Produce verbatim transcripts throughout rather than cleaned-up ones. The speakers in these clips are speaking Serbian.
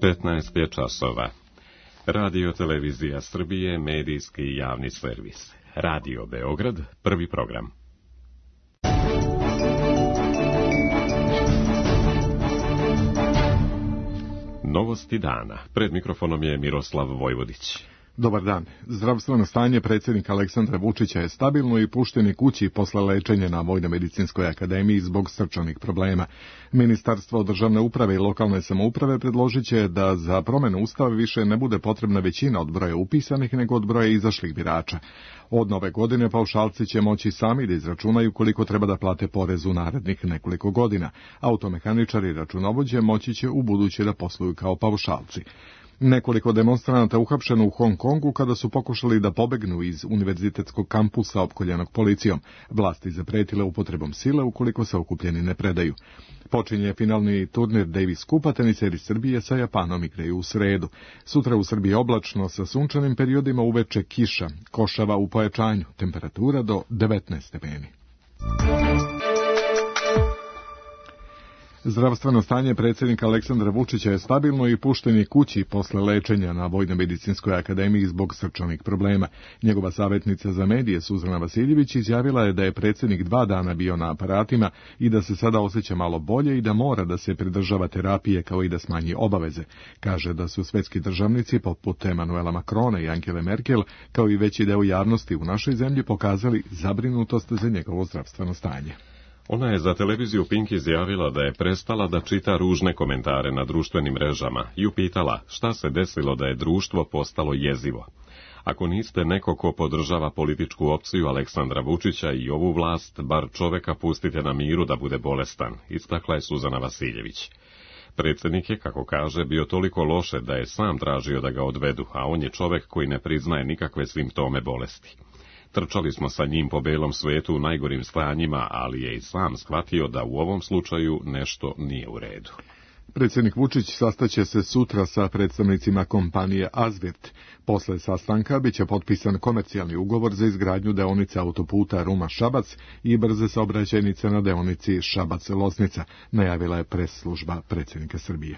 petnaest je časova. Radio Televizija Srbije, medijski i javni servis. Radio Beograd, prvi program. Novosti dana. Pred mikrofonom je Miroslav Vojvodić. Dobar dan. Zdravstveno stanje predsjednika Aleksandra Vučića je stabilno i pušten je kući posle lečenja na Vojno-medicinskoj akademiji zbog srčanih problema. Ministarstvo državne uprave i lokalne samouprave predložit će da za promjenu ustava više ne bude potrebna većina od broja upisanih nego od broja izašlih birača. Od nove godine paušalci će moći sami da izračunaju koliko treba da plate porez u narednih nekoliko godina. Automehaničari i računovođe moći će u buduće da posluju kao paušalci. Nekoliko demonstranata uhapšeno u Hong Kongu kada su pokušali da pobegnu iz univerzitetskog kampusa opkoljenog policijom. Vlasti zapretile upotrebom sile ukoliko se okupljeni ne predaju. Počinje finalni turnir Davis Kupa, teniseri Srbije sa Japanom igraju u sredu. Sutra u Srbiji oblačno sa sunčanim periodima, uveče kiša, košava u pojačanju, temperatura do devetnaest stepeni. Zdravstveno stanje predsjednika Aleksandra Vučića je stabilno i pušten je kući posle lečenja na Vojno-medicinskoj akademiji zbog srčanih problema. Njegova savjetnica za medije Suzana Vasiljević izjavila je da je predsjednik dva dana bio na aparatima i da se sada osjeća malo bolje i da mora da se pridržava terapije kao i da smanji obaveze. Kaže da su svetski državnici poput Emanuela Macrona i Angele Merkel kao i veći deo javnosti u našoj zemlji pokazali zabrinutost za njegovo zdravstveno stanje. Ona je za televiziju Pink izjavila da je prestala da čita ružne komentare na društvenim mrežama i upitala šta se desilo da je društvo postalo jezivo. Ako niste neko ko podržava političku opciju Aleksandra Vučića i ovu vlast, bar čoveka pustite na miru da bude bolestan, istakla je Suzana Vasiljević. Predsjednik je, kako kaže, bio toliko loše da je sam tražio da ga odvedu, a on je čovek koji ne priznaje nikakve simptome bolesti. Trčali smo sa njim po belom svetu u najgorim stanjima, ali je i sam shvatio da u ovom slučaju nešto nije u redu. Predsjednik Vučić sastaće se sutra sa predstavnicima kompanije Azvirt. Posle sastanka biće potpisan komercijalni ugovor za izgradnju deonice autoputa Ruma-Šabac i brze saobraćajnice na deonici Šabac-Loznica, najavila je pres služba predsjednika Srbije.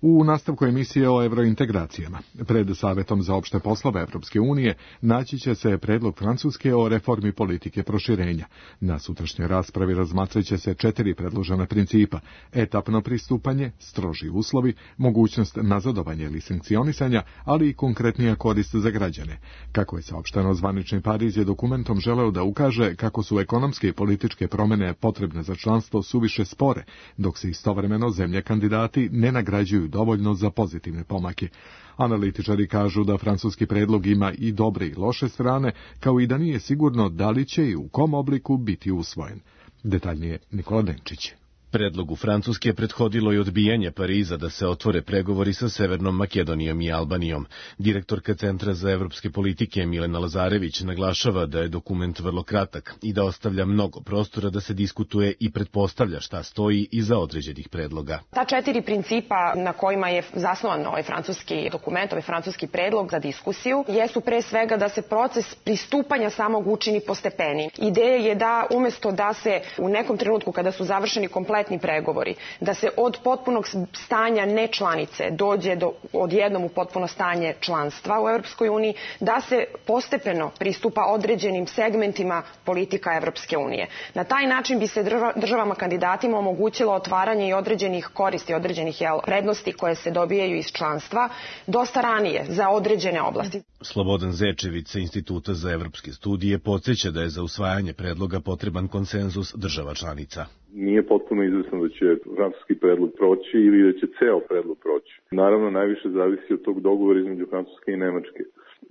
U nastavku emisije o evrointegracijama, pred Savetom za opšte poslove Evropske unije, naći će se predlog Francuske o reformi politike proširenja. Na sutrašnjoj raspravi razmatrat će se četiri predložena principa: etapno pristupanje, stroži uslovi, mogućnost nazadovanja ili sankcionisanja, ali i konkretnija korist za građane. Kako je saopšteno, zvanični Pariz je dokumentom želeo da ukaže kako su ekonomske i političke promjene potrebne za članstvo suviše spore, dok se istovremeno zemlje kandidati ne nagrađuju dovoljno za pozitivne pomake. Analitičari kažu da francuski predlog ima i dobre i loše strane, kao i da nije sigurno da li će i u kom obliku biti usvojen. Detaljnije Nikola Denčić. Predlogu Francuske prethodilo i odbijanje Pariza da se otvore pregovori sa Severnom Makedonijom i Albanijom. Direktorka Centra za evropske politike Milena Lazarević naglašava da je dokument vrlo kratak i da ostavlja mnogo prostora da se diskutuje i pretpostavlja šta stoji iza određenih predloga. Ta četiri principa na kojima je zasnovan ovaj francuski dokument, ovaj francuski predlog za diskusiju, jesu pre svega da se proces pristupanja samog učini postepeni. Ideja je da umjesto da se u nekom trenutku kada su završeni kompletni pregovori, da se od potpunog stanja nečlanice dođe do odjednom u potpuno stanje članstva u Evropskoj uniji, da se postepeno pristupa određenim segmentima politika Evropske unije. Na taj način bi se državama kandidatima omogućilo otvaranje i određenih koristi, određenih jel, prednosti koje se dobijaju iz članstva dosta ranije za određene oblasti. Slobodan Zečević sa Instituta za evropske studije podsjeća da je za usvajanje predloga potreban konsenzus država članica. Nije potpuno izvesno da će francuski predlog proći ili da će ceo predlog proći. Naravno, najviše zavisi od tog dogovora između Francuske i Nemačke.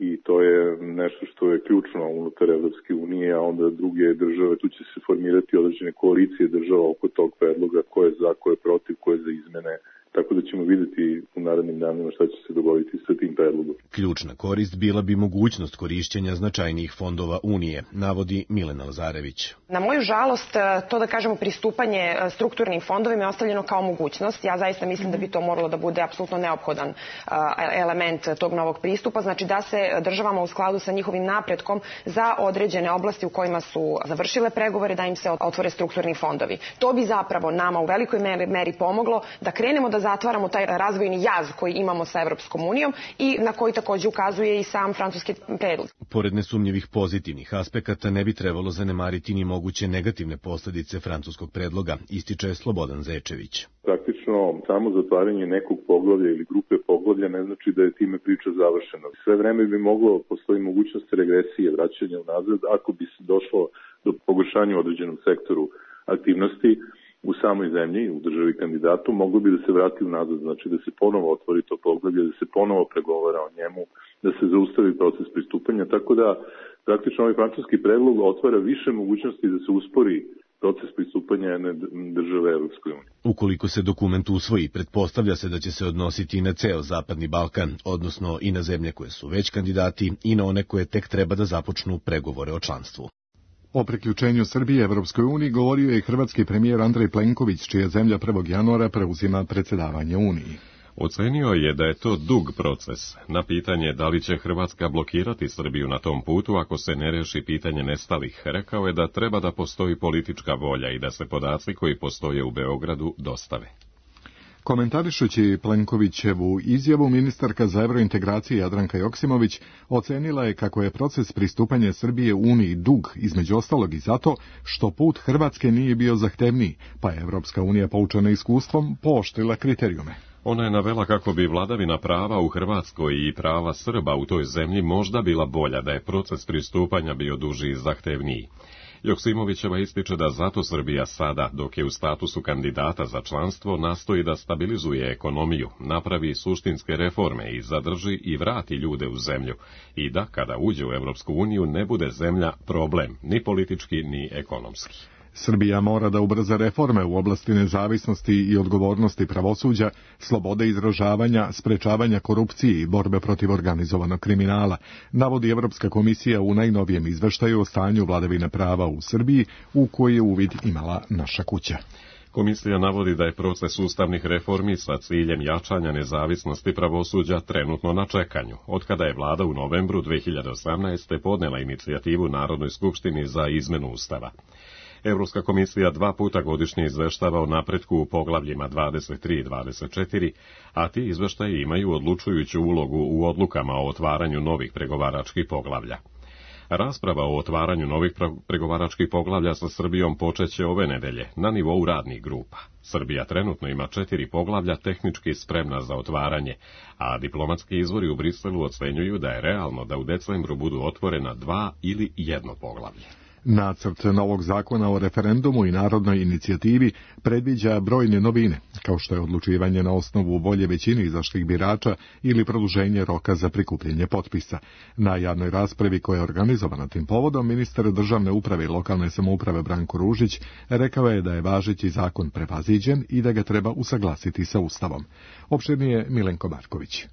I to je nešto što je ključno unutar Evropske unije, a onda druge države, tu će se formirati određene koalicije država oko tog predloga, ko je za, ko je protiv, ko je za izmene. Tako da ćemo vidjeti u narednim danima šta će se dogoditi sa tim predlogom. Ključna korist bila bi mogućnost korišćenja značajnijih fondova Unije, navodi Milena Lazarević. Na moju žalost, to da kažemo pristupanje strukturnim fondovima je ostavljeno kao mogućnost. Ja zaista mislim da bi to moralo da bude apsolutno neophodan element tog novog pristupa, znači da se državama u skladu sa njihovim napretkom za određene oblasti u kojima su završile pregovore, da im se otvore strukturni fondovi. To bi zapravo nama u velikoj meri pomoglo da krenemo da zatvaramo taj razvojni jaz koji imamo sa Evropskom unijom i na koji takođe ukazuje i sam francuski predlog. Pored nesumnjivih pozitivnih aspekata ne bi trebalo zanemariti ni moguće negativne posledice francuskog predloga, ističe Slobodan Zečević. Praktično samo zatvaranje nekog poglavlja ili grupe poglavlja ne znači da je time priča završena. Sve vreme bi moglo postoji mogućnost regresije, vraćanja unazad ako bi se došlo do pogoršanja u određenom sektoru aktivnosti u samoj zemlji, u državi kandidatu, moglo bi da se vrati unazad, znači da se ponovo otvori to poglavlje, da se ponovo pregovara o njemu, da se zaustavi proces pristupanja, tako da praktično ovaj francuski predlog otvara više mogućnosti da se uspori proces pristupanja jedne države Evropskoj uniji. Ukoliko se dokument usvoji, pretpostavlja se da će se odnositi i na ceo Zapadni Balkan, odnosno i na zemlje koje su već kandidati i na one koje tek treba da započnu pregovore o članstvu. O priključenju Srbije Evropskoj uniji govorio je hrvatski premijer Andrej Plenković, čija zemlja prvog januara preuzima predsjedavanje Uniji. Ocenio je da je to dug proces. Na pitanje da li će Hrvatska blokirati Srbiju na tom putu ako se ne reši pitanje nestalih, rekao je da treba da postoji politička volja i da se podaci koji postoje u Beogradu dostave. Komentarišući Plenkovićevu izjavu, ministarka za evrointegracije Jadranka Joksimović ocenila je kako je proces pristupanja Srbije Uniji dug, između ostalog i zato što put Hrvatske nije bio zahtevniji, pa je Evropska unija poučena iskustvom pooštrila kriterijume. Ona je navela kako bi vladavina prava u Hrvatskoj i prava Srba u toj zemlji možda bila bolja da je proces pristupanja bio duži i zahtevniji. Joksimovićeva ističe da zato Srbija sada, dok je u statusu kandidata za članstvo, nastoji da stabilizuje ekonomiju, napravi suštinske reforme i zadrži i vrati ljude u zemlju i da, kada uđe u Evropsku uniju, ne bude zemlja problem, ni politički, ni ekonomski. Srbija mora da ubrza reforme u oblasti nezavisnosti i odgovornosti pravosuđa, slobode izražavanja, sprečavanja korupcije i borbe protiv organizovanog kriminala, navodi Evropska komisija u najnovijem izveštaju o stanju vladavine prava u Srbiji, u koji je uvid imala naša kuća. Komisija navodi da je proces ustavnih reformi sa ciljem jačanja nezavisnosti pravosuđa trenutno na čekanju, otkada je vlada u novembru dve hiljade osamnaeste. podnela inicijativu Narodnoj skupštini za izmenu ustava. Evropska komisija dva puta godišnje izveštava o napretku u poglavljima dvadeset tri i dvadeset četiri, a ti izveštaji imaju odlučujuću ulogu u odlukama o otvaranju novih pregovaračkih poglavlja. Rasprava o otvaranju novih pregovaračkih poglavlja sa Srbijom počeće ove nedelje na nivou radnih grupa. Srbija trenutno ima četiri poglavlja tehnički spremna za otvaranje, a diplomatski izvori u Briselu ocenjuju da je realno da u decembru budu otvorena dva ili jedno poglavlje. Nacrt novog zakona o referendumu i narodnoj inicijativi predviđa brojne novine, kao što je odlučivanje na osnovu volje većine izašlih birača ili produženje roka za prikupljanje potpisa. Na javnoj raspravi koja je organizovana tim povodom, ministar državne uprave i lokalne samouprave Branko Ružić rekao je da je važeći zakon prevaziđen i da ga treba usaglasiti sa Ustavom. Opširnije Milenko Marković.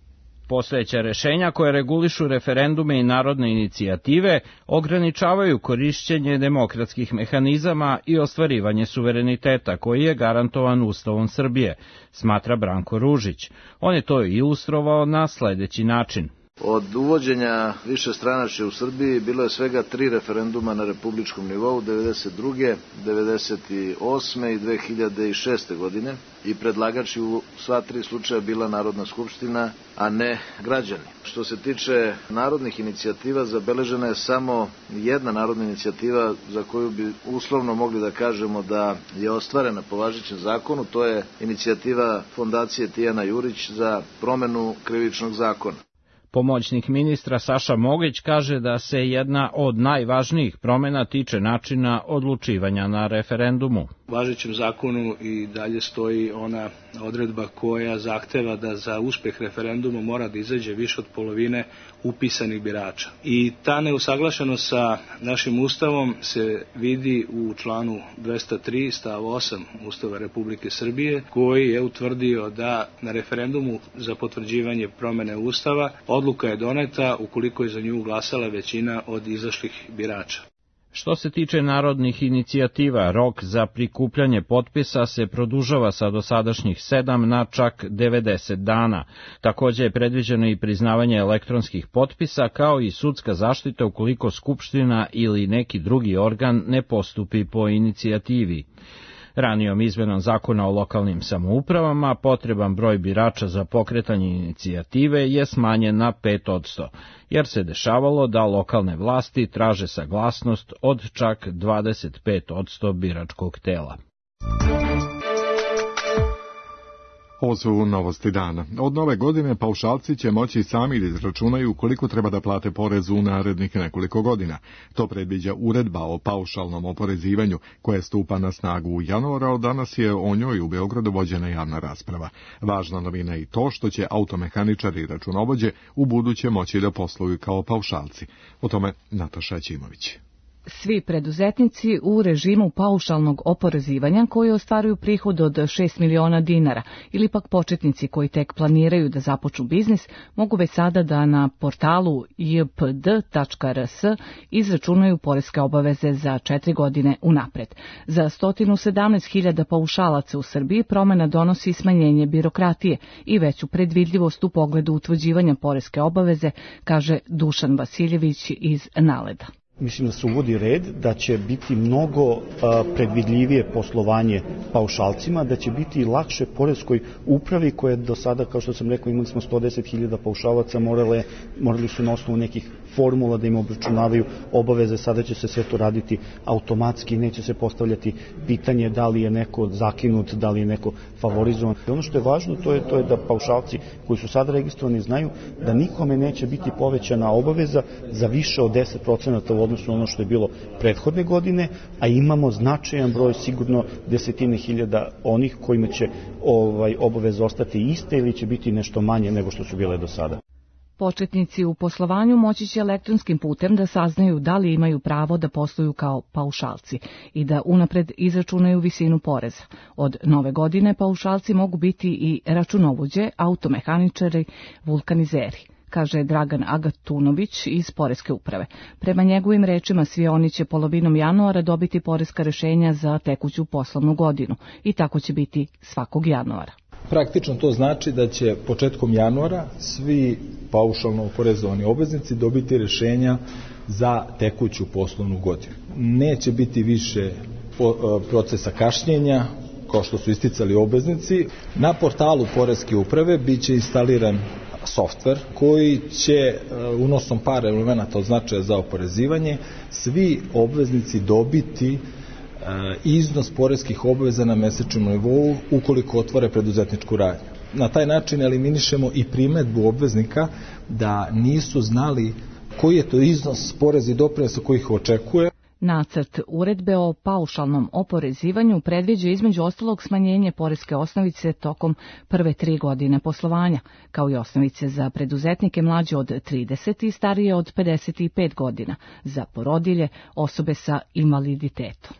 Postojeća rešenja koje regulišu referendume i narodne inicijative ograničavaju korišćenje demokratskih mehanizama i ostvarivanje suvereniteta koji je garantovan Ustavom Srbije, smatra Branko Ružić. On je to ilustrovao na sledeći način. Od uvođenja višestranačja u Srbiji bilo je svega tri referenduma na republičkom nivou devedeset druge, devedeset osme i dve hiljade šeste. godine i predlagač u sva tri slučaja bila Narodna skupština, a ne građani. Što se tiče narodnih inicijativa, zabeležena je samo jedna narodna inicijativa za koju bi uslovno mogli da kažemo da je ostvarena po važećem zakonu, to je inicijativa Fondacije Tijana Jurić za promenu krivičnog zakona. Pomoćnik ministra Saša Mogić kaže da se jedna od najvažnijih promena tiče načina odlučivanja na referendumu. U važećem zakonu i dalje stoji ona odredba koja zahteva da za uspeh referenduma mora da izađe više od polovine upisanih birača. I ta neusaglašenost sa našim Ustavom se vidi u članu dvesta tri stav osam Ustava Republike Srbije, koji je utvrdio da na referendumu za potvrđivanje promene Ustava odluka je doneta ukoliko je za nju glasala većina od izašlih birača. Što se tiče narodnih inicijativa, rok za prikupljanje potpisa se produžava sa dosadašnjih sedam na čak devedeset dana. Takođe je predviđeno i priznavanje elektronskih potpisa, kao i sudska zaštita ukoliko Skupština ili neki drugi organ ne postupi po inicijativi. Ranijom izmenom zakona o lokalnim samoupravama potreban broj birača za pokretanje inicijative je smanjen na pet odsto, jer se dešavalo da lokalne vlasti traže saglasnost od čak dvadeset pet odsto biračkog tela. Ovo su novosti dana. Od nove godine paušalci će moći sami da izračunaju koliko treba da plate porez u narednih nekoliko godina. To predviđa uredba o paušalnom oporezivanju koja stupa na snagu u januara, od danas je o njoj u Beogradu vođena javna rasprava. Važna novina je i to što će automehaničari i računovođe u buduće moći da posluju kao paušalci. O tome Nataša Ćimović. Svi preduzetnici u režimu paušalnog oporezivanja koji ostvaruju prihod od šest miliona dinara ili pak početnici koji tek planiraju da započnu biznis mogu već sada da na portalu j p d tačka r s izračunaju poreske obaveze za četiri godine unapred. Za sto sedamnaest hiljada paušalaca u Srbiji promena donosi smanjenje birokratije i veću predvidljivost u pogledu utvrđivanja poreske obaveze, kaže Dušan Vasiljević iz Naleda. Mislim da se uvodi red, da će biti mnogo a, predvidljivije poslovanje paušalcima, da će biti lakše poreskoj upravi koje do sada, kao što sam rekao, imali smo sto deset hiljada paušalaca, morale, morali su na osnovu nekih formula da im obračunavaju obaveze, sada će se sve to raditi automatski, neće se postavljati pitanje da li je neko zakinut, da li je neko favorizovan. I ono što je važno, to je, to je da paušalci koji su sada registrovani znaju da nikome neće biti povećana obaveza za više od deset procenata u odnosu na ono što je bilo prethodne godine, a imamo značajan broj, sigurno desetine hiljada onih kojima će ovaj, obaveze ostati iste ili će biti nešto manje nego što su bile do sada. Početnici u poslovanju moći će elektronskim putem da saznaju da li imaju pravo da posluju kao paušalci i da unapred izračunaju visinu poreza. Od nove godine paušalci mogu biti i računovođe, automehaničari, vulkanizeri, kaže Dragan Agatunović iz Poreske uprave. Prema njegovim rečima, svi oni će polovinom januara dobiti poreska rešenja za tekuću poslovnu godinu i tako će biti svakog januara. Praktično to znači da će početkom januara svi paušalno oporezovani obveznici dobiti rešenja za tekuću poslovnu godinu. Neće biti više procesa kašnjenja, kao što su isticali obveznici. Na portalu Poreske uprave biće instaliran softver koji će unosom par elemenata od značaja za oporezivanje svi obveznici dobiti iznos poreskih obaveza na mesečnom nivou ukoliko otvore preduzetničku radnju. Na taj način eliminišemo i primedbu obveznika da nisu znali koji je to iznos poreza i doprinosa koji ih očekuje. Nacrt uredbe o paušalnom oporezivanju predviđa između ostalog smanjenje poreske osnovice tokom prve tri godine poslovanja, kao i osnovice za preduzetnike mlađe od trideset i starije od pedeset pet godina, za porodilje, osobe sa invaliditetom.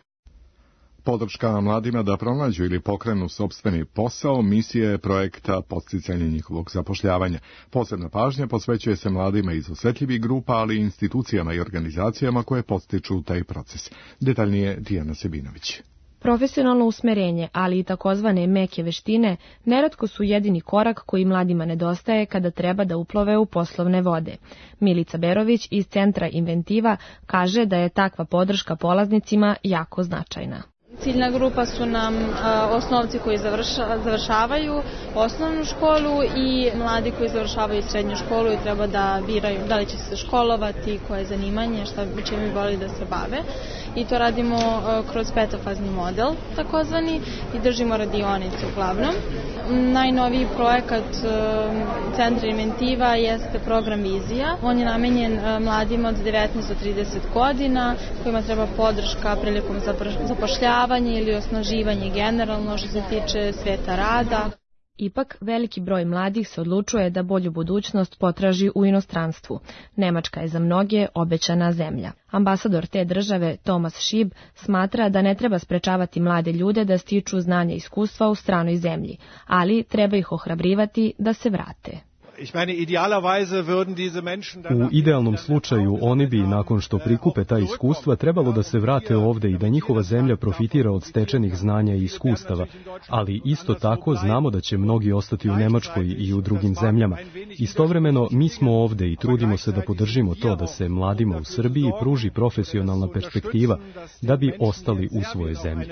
Podrška mladima da pronađu ili pokrenu sopstveni posao misija je projekta podsticanja njihovog zapošljavanja. Posebna pažnja posvećuje se mladima iz osetljivih grupa, ali i institucijama i organizacijama koje podstiču taj proces. Detaljnije Dijana Sebinović. Profesionalno usmerenje, ali i takozvane meke veštine, neretko su jedini korak koji mladima nedostaje kada treba da uplove u poslovne vode. Milica Berović iz Centra Inventiva kaže da je takva podrška polaznicima jako značajna. Ciljna grupa su nam a, osnovci koji završa, završavaju osnovnu školu i mladi koji završavaju srednju školu i treba da biraju da li će se školovati, koje zanimanje, šta bi čemu voli da se bave. I to radimo a, kroz petofazni model, takozvani, i držimo radionice uglavnom. Najnoviji projekat a, Centra Inventiva jeste program Vizija. On je namenjen a, mladima od devetnaest do trideset godina, kojima treba podrška prilikom zapošljavanja ili osnaživanje generalno što se tiče sveta rada. Ipak, veliki broj mladih se odlučuje da bolju budućnost potraži u inostranstvu. Nemačka je za mnoge obećana zemlja. Ambasador te države, Tomas Šib, smatra da ne treba sprečavati mlade ljude da stiču znanja i iskustva u stranoj zemlji, ali treba ih ohrabrivati da se vrate. U idealnom slučaju oni bi, nakon što prikupe ta iskustva, trebalo da se vrate ovde i da njihova zemlja profitira od stečenih znanja i iskustava, ali isto tako znamo da će mnogi ostati u Nemačkoj i u drugim zemljama. Istovremeno, mi smo ovde i trudimo se da podržimo to da se mladima u Srbiji pruži profesionalna perspektiva da bi ostali u svojoj zemlji.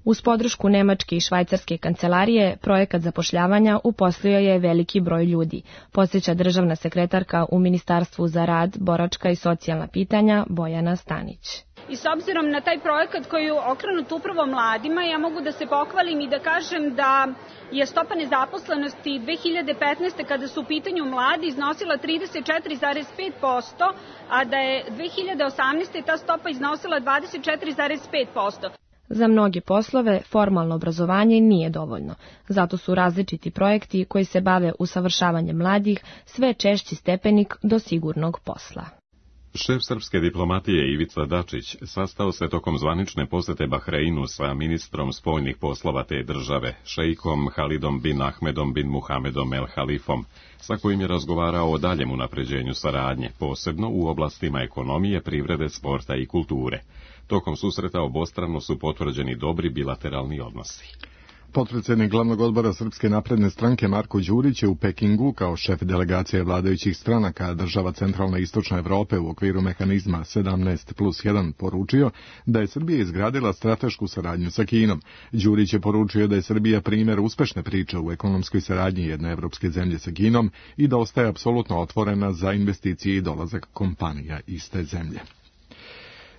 Uz podršku Nemačke i Švajcarske kancelarije, projekat zapošljavanja uposlio je veliki broj ljudi, podsjeća državna sekretarka u Ministarstvu za rad, boračka i socijalna pitanja Bojana Stanić. I s obzirom na taj projekat koji je okrenut upravo mladima, ja mogu da se pohvalim i da kažem da je stopa nezaposlenosti dve hiljade petnaeste. kada su u pitanju mladi iznosila trideset četiri zarez pet posto, a da je dve hiljade osamnaeste. ta stopa iznosila dvadeset četiri zarez pet posto. Za mnoge poslove formalno obrazovanje nije dovoljno. Zato su različiti projekti koji se bave usavršavanjem mladih sve češći stepenik do sigurnog posla. Šef srpske diplomatije Ivica Dačić sastao se tokom zvanične posete Bahreinu sa ministrom spoljnih poslova te države, šeikom Halidom bin Ahmedom bin Muhamedom El Halifom, sa kojim je razgovarao o daljem unapređenju saradnje, posebno u oblastima ekonomije, privrede, sporta i kulture. Tokom susreta obostrano su potvrđeni dobri bilateralni odnosi. Potpredsjednik glavnog odbora Srpske napredne stranke Marko Đurić je u Pekingu kao šef delegacije vladajućih stranaka država centralne i istočne Evrope u okviru mehanizma sedamnaest plus jedan poručio da je Srbija izgradila stratešku saradnju sa Kinom. Đurić je poručio da je Srbija primjer uspešne priče u ekonomskoj saradnji jedne evropske zemlje sa Kinom i da ostaje apsolutno otvorena za investicije i dolazak kompanija iste zemlje.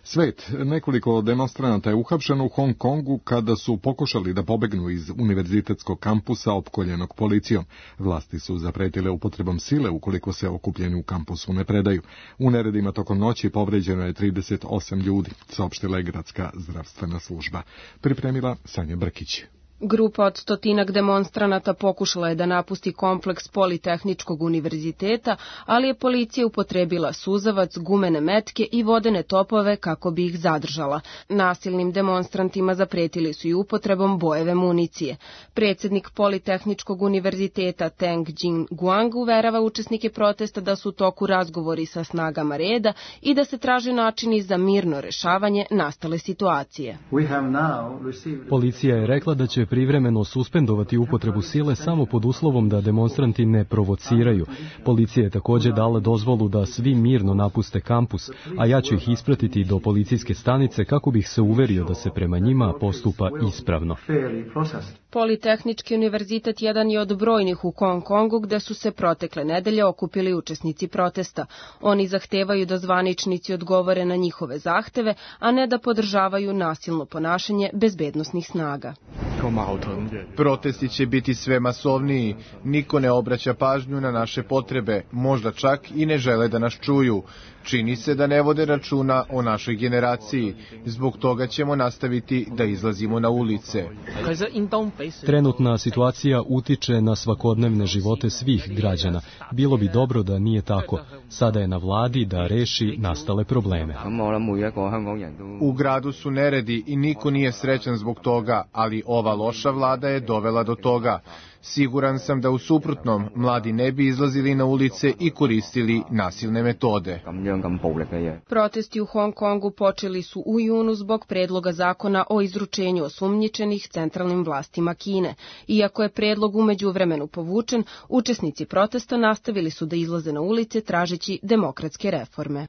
Svet, nekoliko demonstranata je uhapšeno u Hong Kongu kada su pokušali da pobegnu iz univerzitetskog kampusa opkoljenog policijom. Vlasti su zapretile upotrebom sile ukoliko se okupljeni u kampusu ne predaju. U neredima tokom noći povređeno je trideset osam ljudi, saopštila je gradska zdravstvena služba. Pripremila Sanja Brkić. Grupa od stotinak demonstranata pokušala je da napusti kompleks Politehničkog univerziteta, ali je policija upotrebila suzavac, gumene metke i vodene topove kako bi ih zadržala. Nasilnim demonstrantima zapretili su i upotrebom bojeve municije. Predsjednik Politehničkog univerziteta Teng Jin Guang uverava učesnike protesta da su u toku razgovori sa snagama reda i da se traže načini za mirno rešavanje nastale situacije. Policija je rekla da će privremeno suspendovati upotrebu sile samo pod uslovom da demonstranti ne provociraju. Policija je također dala dozvolu da svi mirno napuste kampus, a ja ću ih ispratiti do policijske stanice kako bih se uverio da se prema njima postupa ispravno. Politehnički univerzitet jedan je od brojnih u Hong Kongu gde su se protekle nedelje okupili učesnici protesta. Oni zahtevaju da zvaničnici odgovore na njihove zahteve, a ne da podržavaju nasilno ponašanje bezbednosnih snaga. Protesti će biti sve masovniji, niko ne obraća pažnju na naše potrebe, možda čak i ne žele da nas čuju. Čini se da ne vode računa o našoj generaciji, zbog toga ćemo nastaviti da izlazimo na ulice. Trenutna situacija utiče na svakodnevne živote svih građana. Bilo bi dobro da nije tako. Sada je na vladi da reši nastale probleme. U gradu su neredi i niko nije srećan zbog toga, ali ova loša vlada je dovela do toga. Siguran sam da u suprotnom mladi ne bi izlazili na ulice i koristili nasilne metode. Protesti u Hong Kongu počeli su u junu zbog predloga zakona o izručenju osumnjičenih centralnim vlastima Kine. Iako je predlog u međuvremenu povučen, učesnici protesta nastavili su da izlaze na ulice tražeći demokratske reforme.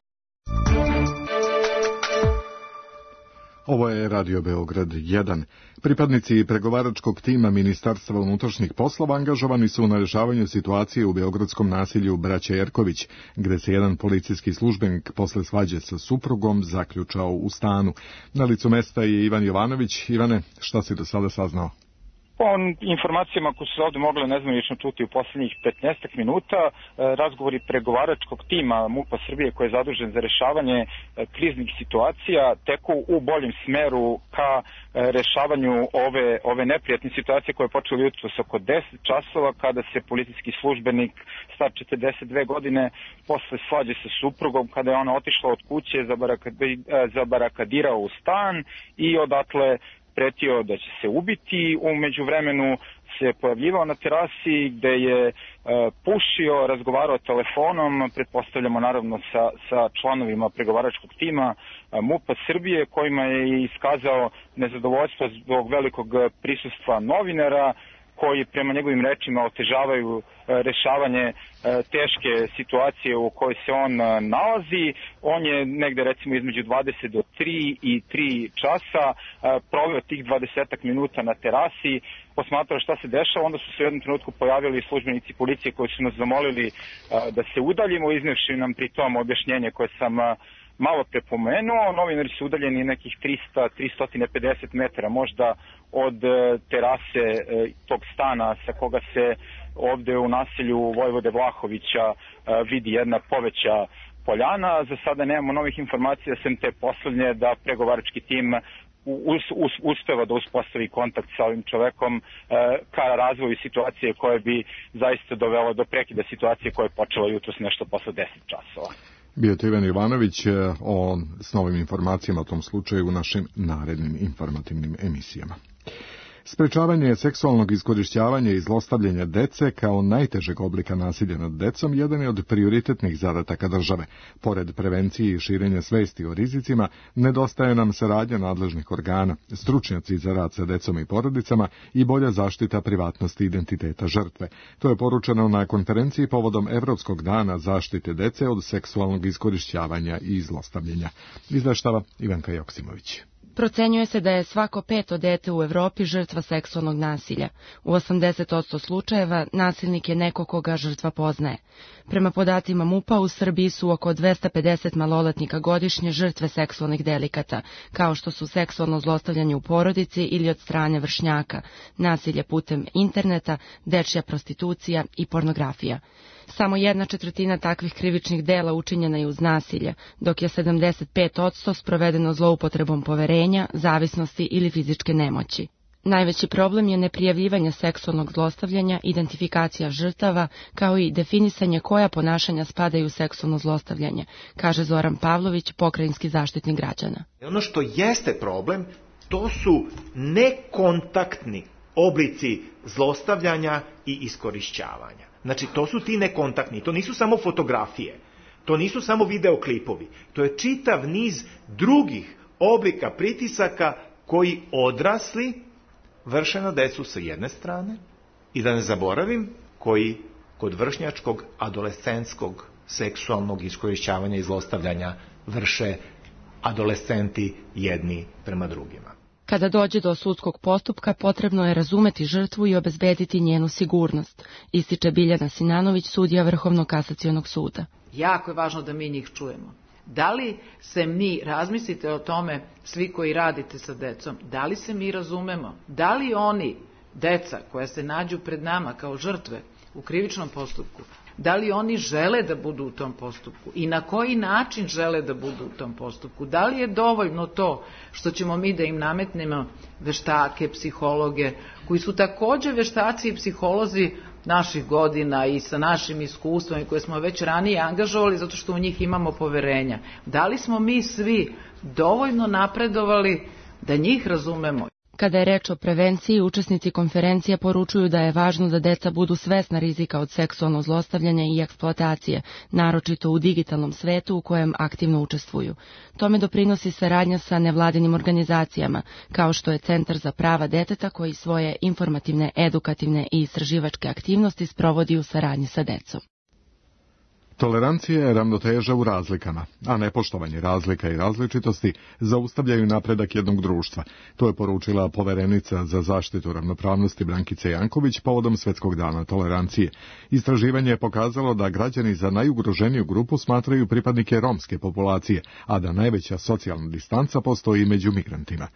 Ovo je Radio Beograd jedan. Pripadnici pregovaračkog tima Ministarstva unutrašnjih poslova angažovani su na rešavanju situacije u beogradskom nasilju Braća Jerković, gde se jedan policijski službenik posle svađe sa suprugom zaključao u stanu. Na licu mesta je Ivan Jovanović. Ivane, šta si do sada saznao? Po informacijama koje su se ovde mogle nezvanično čuti u poslednjih petnaestak minuta, razgovori pregovaračkog tima MUP-a Srbije koji je zadužen za rešavanje kriznih situacija teku u boljem smeru ka rešavanju ove, ove neprijatne situacije koje je počela jutros oko deset časova kada se policijski službenik star četrdeset dve godine posle svađe sa suprugom, kada je ona otišla od kuće, zabarakadirao u stan i odatle pretio da će se ubiti. U međuvremenu se pojavljivao na terasi gde je pušio, razgovarao telefonom, pretpostavljamo naravno sa, sa članovima pregovaračkog tima MUP-a Srbije, kojima je iskazao nezadovoljstvo zbog velikog prisustva novinara, koji prema njegovim rečima otežavaju rešavanje teške situacije u kojoj se on nalazi. On je negde recimo između dvadeset do tri i tri časa proveo tih dvadesetak minuta na terasi, posmatrao šta se dešava, onda su se u jednom trenutku pojavili službenici policije koji su nas zamolili da se udaljimo, iznevši nam pri tom objašnjenje koje sam malo prepomenuo. Novinari su udaljeni nekih trista do trista pedeset metara možda od terase tog stana sa koga se ovde u naselju Vojvode Vlahovića vidi jedna poveća poljana. Za sada nemamo novih informacija, sem te poslednje da pregovarački tim uspeva da uspostavi kontakt sa ovim čovekom ka razvoju situacije koje bi zaista dovelo do prekida situacije koja je počela jutros nešto posle deset časova. Bio je to Ivan Ivanović o, s novim informacijama o tom slučaju u našim narednim informativnim emisijama. Sprečavanje seksualnog iskorišćavanja i zlostavljanja dece kao najtežeg oblika nasilja nad decom jedan je od prioritetnih zadataka države. Pored prevencije i širenja svesti o rizicima, nedostaje nam saradnja nadležnih organa, stručnjaci za rad sa decom i porodicama i bolja zaštita privatnosti i identiteta žrtve. To je poručeno na konferenciji povodom Evropskog dana zaštite dece od seksualnog iskorišćavanja i zlostavljanja. Izveštava Ivanka Joksimović. Procenjuje se da je svako peto dete u Evropi žrtva seksualnog nasilja. U osamdeset posto slučajeva nasilnik je neko koga žrtva poznaje. Prema podacima MUP-a u Srbiji su oko dvesta pedeset maloletnika godišnje žrtve seksualnih delikata, kao što su seksualno zlostavljanje u porodici ili od strane vršnjaka, nasilje putem interneta, dečja prostitucija i pornografija. Samo jedna četvrtina takvih krivičnih dela učinjena je uz nasilje, dok je sedamdeset pet posto sprovedeno zloupotrebom poverenja, zavisnosti ili fizičke nemoći. Najveći problem je neprijavljivanje seksualnog zlostavljanja, identifikacija žrtava, kao i definisanje koja ponašanja spadaju u seksualno zlostavljanje, kaže Zoran Pavlović, pokrajinski zaštitnik građana. Ono što jeste problem, to su nekontaktni oblici zlostavljanja i iskorišćavanja. Znači, to su ti nekontaktni, to nisu samo fotografije, to nisu samo videoklipovi, to je čitav niz drugih oblika pritisaka koji odrasli vrše na decu sa jedne strane i da ne zaboravim, koji kod vršnjačkog adolescentskog seksualnog iskorišćavanja i zlostavljanja vrše adolescenti jedni prema drugima. Kada dođe do sudskog postupka, potrebno je razumeti žrtvu i obezbediti njenu sigurnost, ističe Biljana Sinanović, sudija Vrhovnog kasacionog suda. Jako je važno da mi njih čujemo. Da li se mi, razmislite o tome, svi koji radite sa decom, da li se mi razumemo? Da li oni, deca koja se nađu pred nama kao žrtve u krivičnom postupku, da li oni žele da budu u tom postupku i na koji način žele da budu u tom postupku? Da li je dovoljno to što ćemo mi da im nametnemo veštake, psihologe, koji su takođe veštaci i psiholozi naših godina i sa našim iskustvom i koje smo već ranije angažovali zato što u njih imamo poverenja? Da li smo mi svi dovoljno napredovali da njih razumemo? Kada je reč o prevenciji, učesnici konferencije poručuju da je važno da deca budu svesna rizika od seksualnog zlostavljanja i eksploatacije, naročito u digitalnom svetu u kojem aktivno učestvuju. Tome doprinosi saradnja sa nevladinim organizacijama, kao što je Centar za prava deteta koji svoje informativne, edukativne i istraživačke aktivnosti sprovodi u saradnji sa decom. Tolerancija je ravnoteža u razlikama, a nepoštovanje razlika i različitosti zaustavljaju napredak jednog društva. To je poručila poverenica za zaštitu ravnopravnosti Brankica Janković povodom Svetskog dana tolerancije. Istraživanje je pokazalo da građani za najugroženiju grupu smatraju pripadnike romske populacije, a da najveća socijalna distanca postoji među migrantima.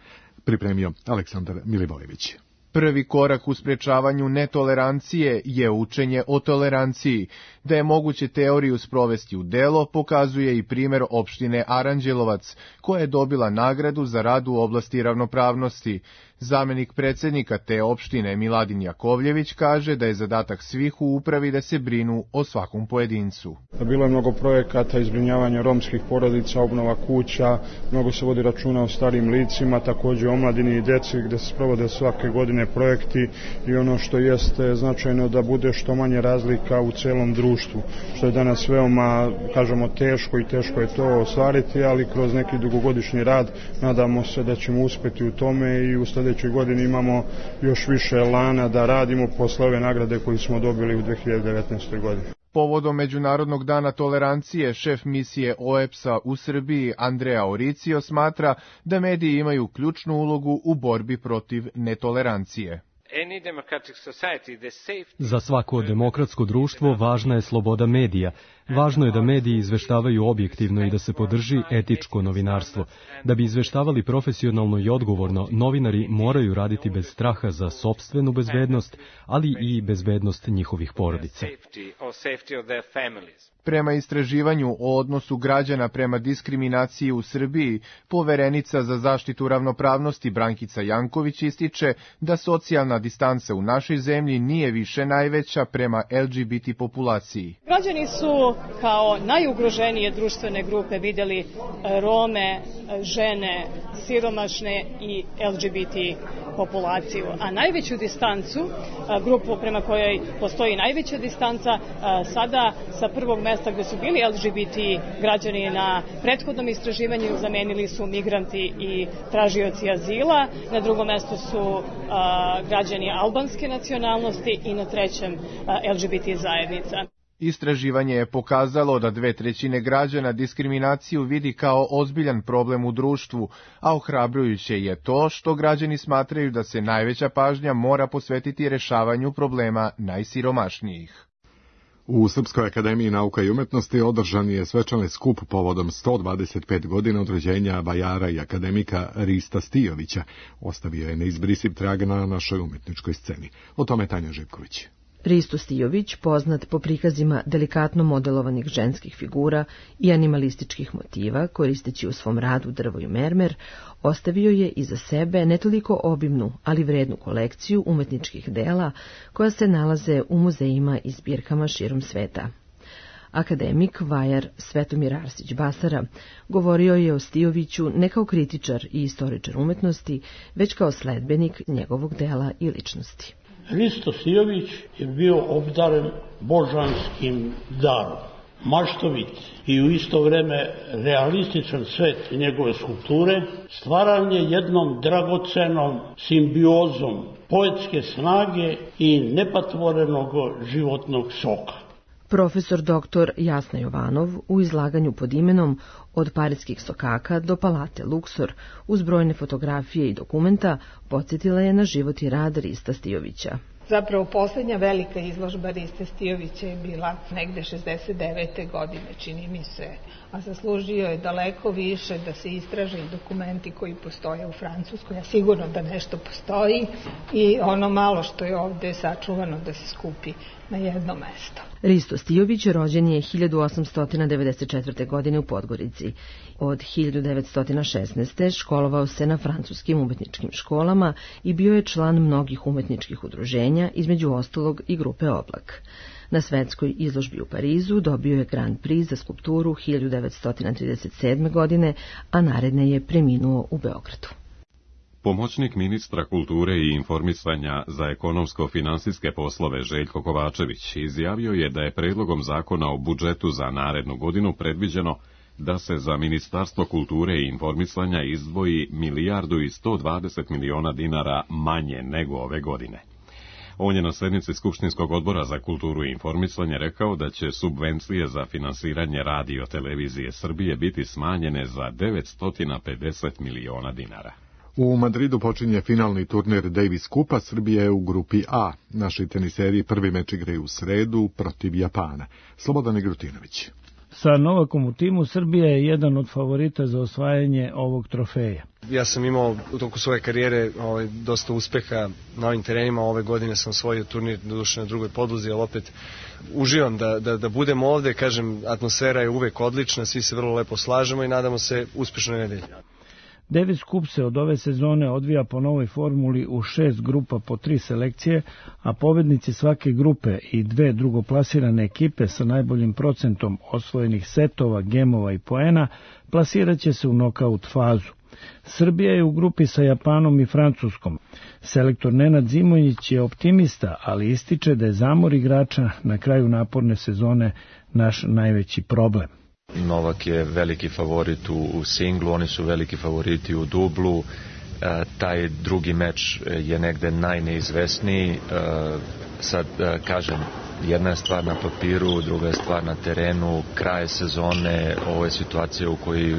Pripremio Aleksandar Milivojević. Prvi korak u sprečavanju netolerancije je učenje o toleranciji. Da je moguće teoriju sprovesti u delo, pokazuje i primer opštine Aranđelovac, koja je dobila nagradu za rad u oblasti ravnopravnosti. Zamenik predsednika te opštine Miladin Jakovljević kaže da je zadatak svih u upravi da se brinu o svakom pojedincu. Bilo je mnogo projekata izbrinjavanja romskih porodica, obnova kuća, mnogo se vodi računa o starim licima, takođe o omladini i deci gde se sprovode svake godine projekti i ono što jeste značajno da bude što manje razlika u celom društvu, što je danas veoma, kažemo, teško i teško je to ostvariti, ali kroz neki dugogodišnji rad nadamo se da ćemo uspeti u tome i u sledećoj godini imamo još više elana da radimo posle ove nagrade koju smo dobili u dve hiljade devetnaestoj. godini. Povodom Međunarodnog dana tolerancije, šef misije O E P S-a u Srbiji Andrea Oricio smatra da mediji imaju ključnu ulogu u borbi protiv netolerancije. Za svako demokratsko društvo važna je sloboda medija. Važno je da mediji izveštavaju objektivno i da se podrži etičko novinarstvo. Da bi izveštavali profesionalno i odgovorno, novinari moraju raditi bez straha za sopstvenu bezbednost, ali i bezbednost njihovih porodica. Prema istraživanju o odnosu građana prema diskriminaciji u Srbiji, poverenica za zaštitu ravnopravnosti Brankica Janković ističe da socijalna distanca u našoj zemlji nije više najveća prema L G B T populaciji. Građani su kao najugroženije društvene grupe videli Rome, žene, siromašne i L G B T populaciju, a najveću distancu, grupu prema kojoj postoji najveća distanca, sada sa prvog mesta gde su bili L G B T građani na prethodnom istraživanju zamenili su migranti i tražioci azila, na drugom mestu su građani albanske nacionalnosti i na trećem L G B T zajednica. Istraživanje je pokazalo da dve trećine građana diskriminaciju vidi kao ozbiljan problem u društvu, a ohrabrujuće je to što građani smatraju da se najveća pažnja mora posvetiti rešavanju problema najsiromašnijih. U Srpskoj akademiji nauka i umetnosti održan je svečani skup povodom sto dvadeset pet godina od rođenja vajara i akademika Rista Stijovića. Ostavio je neizbrisiv trag na našoj umetničkoj sceni. O tome Tanja Živković. Risto Stijović, poznat po prikazima delikatno modelovanih ženskih figura i animalističkih motiva, koristeći u svom radu drvo i mermer, ostavio je iza sebe ne toliko obimnu, ali vrednu kolekciju umetničkih dela koja se nalaze u muzejima i zbirkama širom sveta. Akademik vajar Svetomir Arsić Basara govorio je o Stijoviću ne kao kritičar i istoričar umetnosti, već kao sledbenik njegovog dela i ličnosti. Risto Stijović je bio obdaren božanskim darom, maštovit i u isto vreme realističan svet njegove skulpture, stvaranje jednom dragocenom simbiozom poetske snage i nepatvorenog životnog soka. Profesor doktor Jasna Jovanov u izlaganju pod imenom Od parijskih sokaka do palate Luksor uz brojne fotografije i dokumenta podsjetila je na život i rad Rista Stijovića. Zapravo poslednja velika izložba Riste Stijovića je bila negde šezdeset devete. godine, čini mi se, a zaslužio je daleko više da se istraže i dokumenti koji postoje u Francuskoj, a sigurno da nešto postoji i ono malo što je ovde sačuvano da se skupi na jedno mesto. Risto Stijović rođen je hiljadu osamsto devedeset četvrte. godine u Podgorici. Od hiljadu devetsto šesnaeste. školovao se na francuskim umetničkim školama i bio je član mnogih umetničkih udruženja, između ostalog i grupe Oblak. Na svetskoj izložbi u Parizu dobio je Grand Prix za skulpturu hiljadu devetsto trideset sedme. godine, a naredne je preminuo u Beogradu. Pomoćnik ministra kulture i informisanja za ekonomsko-finansijske poslove Željko Kovačević izjavio je da je predlogom zakona o budžetu za narednu godinu predviđeno da se za Ministarstvo kulture i informisanja izdvoji milijardu i sto dvadeset miliona dinara manje nego ove godine. On je na sednici Skupštinskog odbora za kulturu i informisanje rekao da će subvencije za finansiranje radio televizije Srbije biti smanjene za devetsto pedeset miliona dinara. U Madridu počinje finalni turnir Davis Kupa, Srbije u grupi A. Naši teniseri prvi meč igraju u sredu protiv Japana. Slobodan Igrutinović. Sa Novakom u timu, Srbija je jedan od favorita za osvajanje ovog trofeja. Ja sam imao u toku svoje karijere ovaj, dosta uspeha na ovim terenima. Ove godine sam osvojio turnir doduše na drugoj podlozi, ali opet uživam da, da, da budem ovde. Kažem, atmosfera je uvek odlična, svi se vrlo lepo slažemo i nadamo se uspešnoj nedelji. Davis Cup se od ove sezone odvija po novoj formuli u šest grupa po tri selekcije, a pobednici svake grupe i dve drugoplasirane ekipe sa najboljim procentom osvojenih setova, gemova i poena plasiraće se u nokaut fazu. Srbija je u grupi sa Japanom i Francuskom. Selektor Nenad Zimonjić je optimista, ali ističe da je zamor igrača na kraju naporne sezone naš najveći problem. Novak je veliki favorit u, u singlu, oni su veliki favoriti u dublu. E, taj drugi meč je negde najneizvesniji. E, sad, e, kažem, jedna je stvar na papiru, druga je stvar na terenu, kraj sezone, ovo je situacija u kojoj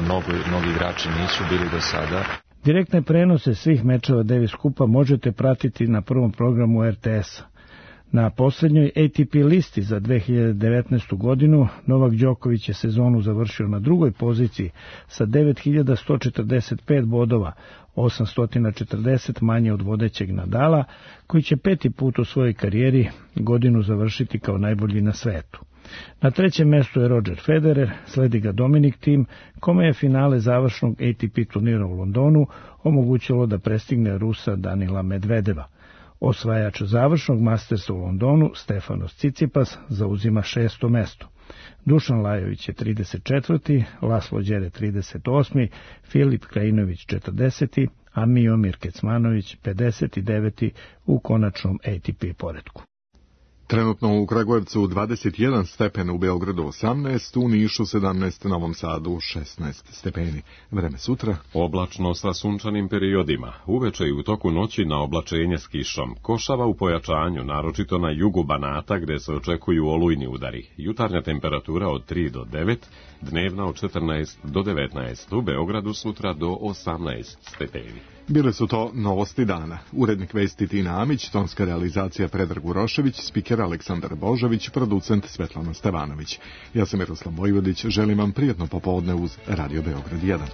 mnogo, mnogi igrači nisu bili do sada. Direktne prenose svih mečeva Davis Cupa možete pratiti na prvom programu er te es-a. Na poslednjoj A T P listi za dve hiljade devetnaestu godinu Novak Đoković je sezonu završio na drugoj poziciji sa devet hiljada sto četrdeset pet bodova, osamsto četrdeset manje od vodećeg Nadala, koji će peti put u svojoj karijeri godinu završiti kao najbolji na svetu. Na trećem mestu je Roger Federer, sledi ga Dominic Thiem, kome je finale završnog A T P turnira u Londonu omogućilo da prestigne Rusa Danila Medvedeva. Osvajač završnog Mastersa u Londonu, Stefanos Tsitsipas, zauzima šesto mesto. Dušan Lajović je trideset četvrti, Laslo Đere trideset osmi, Filip Krajinović četrdeseti, a Miomir Kecmanović pedeset deveti u konačnom A T P poretku. Trenutno u Kragujevcu dvadeset jedan stepena, u Beogradu osamnaest, u Nišu sedamnaest, Novom Sadu šesnaest stepeni. Vreme sutra. Oblačno sa sunčanim periodima. Uveče i u toku noći na oblačenje s kišom. Košava u pojačanju, naročito na jugu Banata gde se očekuju olujni udari. Jutarnja temperatura od tri do devet, dnevna od četrnaest do devetnaest. U Beogradu sutra do osamnaest stepeni. Bile su to novosti dana. Urednik vesti Tina Amić, tonska realizacija Predrag Urošević, spiker Aleksandar Božović, producent Svetlana Stevanović. Ja sam Miroslav Vojvodić, želim vam prijetno popodne uz Radio Beograd jedan.